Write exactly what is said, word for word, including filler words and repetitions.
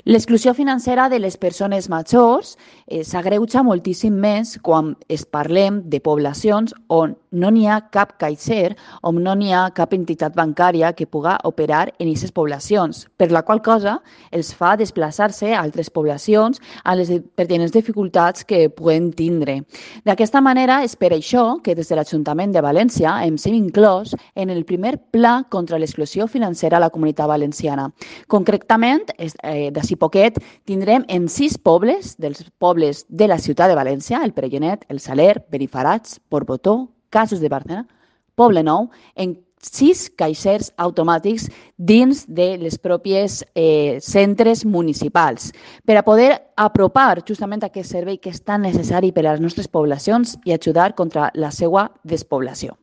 L'exclusió financera de les persones majors eh, s'agreuja moltíssim més quan es parlem de poblacions on no n'hi ha cap caixer, on no n'hi ha cap entitat bancària que puga operar en aquestes poblacions, per la qual cosa els fa desplaçar-se a altres poblacions a les pertinents dificultats que puguen tindre. D'aquesta manera, és per això que des de l'Ajuntament de València hem sigut inclòs en el primer pla contra l'exclusió financera a la Comunitat Valenciana. Concretament, eh, d'ací poquet, tindrem en sis pobles, dels pobles de la ciutat de València, el Pregenet, el Saler, Benifarats, Portbotó, Casos de Barcelona, Poble Nou, en sis caixers automàtics dins de les pròpies eh, centres municipals per a poder apropar justament aquest servei que és tan necessari per a les nostres poblacions i ajudar contra la seva despoblació.